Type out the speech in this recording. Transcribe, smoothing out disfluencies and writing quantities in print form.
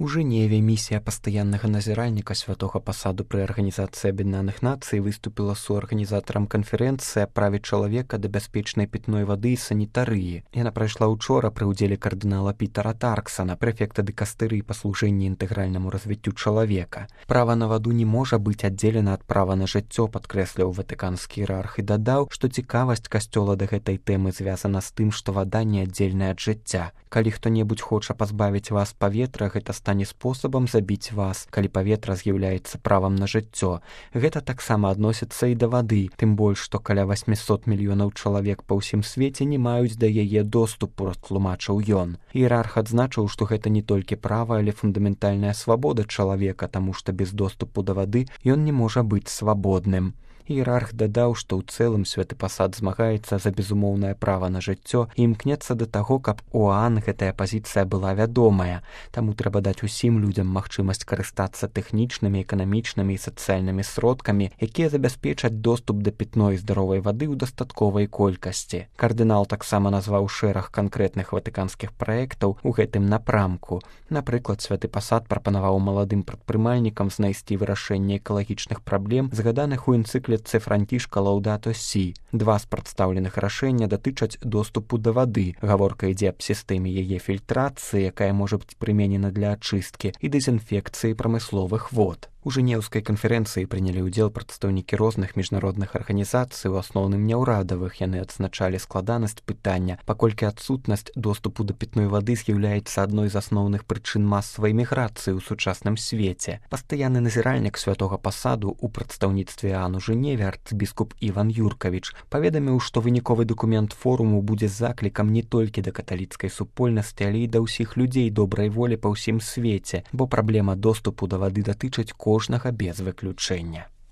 У Жэневе місія пастаяннага назіральніка святога пасаду пры Арганізацыі Аб'яднаных Нацый выступіла суарганізатарам канферэнцыі аб праве чалавека да бяспечнай пітной вады і санітарыі. Яна прайшла ўчора пры ўдзеле кардынала Пітера Тарксана, прэфекта дыкастырыі па служэнні інтэгральнаму развіццю чалавека. Права на ваду не можа быць аддзелена ад права на жыццё, падкрэсліў ватыканскі іерарх і дадаў, што цікавасць касцёла да гэтай тэмы звязана з тым, што вада неаддзельная ад жыцця. Калі хто-небудзь хоча пазбавіць вас паветра, гэта стане спосабам забіць вас, калі паветра з'яўляецца правам на жыццё. Гэта таксама адносіцца і да вады, тым больш, што каля 800 мільёнаў чалавек па ўсім свеце не маюць да яе доступу, растлумачыў ён. Іерарх адзначыў, што гэта не толькі права, але фундаментальная свабода чалавека, таму што без доступу да вады ён не можа быць свабодным. Іерарх дадаў, што ў цэлым святы пасад змагаецца за безумоўнае права на жыццё і імкнецца да таго, каб ОАН гэтая пазіцыя была вядомая. Таму трэба даць усім людзям магчымасць карыстацца тэхнічнымі, эканамічнымі і сацыяльнымі сродкамі, якія забяспечаць доступ да пітной і здаровай вады ў дастатковай колькасці. Кардынал таксама назваў шэраг канкрэтных ватыканскіх праектаў у гэтым напрамку. Напрыклад, святы пасад прапанаваў маладым прадпрымальнікам знайсці вырашэнне экалагічных праблем, згаданых у энцыкліцы Францішка Лаўдато Сі. Два з прадстаўленых рашэння датычаць доступу да вады. Гаворка ідзе аб сістэме яе фільтрацыі, якая можа быць прыменена для ачысткі і дэзінфекцыі прамысловых вод. У жэнеўскай канферэнцыі прынялі ўдзел прадстаўнікі розных міжнародных арганізацый, у асноўным няўрадавых. Яны адзначалі складанасць пытання, паколькі адсутнасць доступу да пітной вады з'яўляецца адной з асноўных прычын масавай міграцыі ў сучасным свеце. Пастаянны назіральнік святога пасаду ў прадстаўніцтве ААН у Жэневе арцыбіскуп Іван Юркавіч паведаміў, што выніковы дакумент форуму будзе заклікам не толькі да каталіцкай супольнасці, але і да ўсіх людзей добрай волі па ўсім свеце, бо праблема доступу да вады датычыць кожнага без выключэння.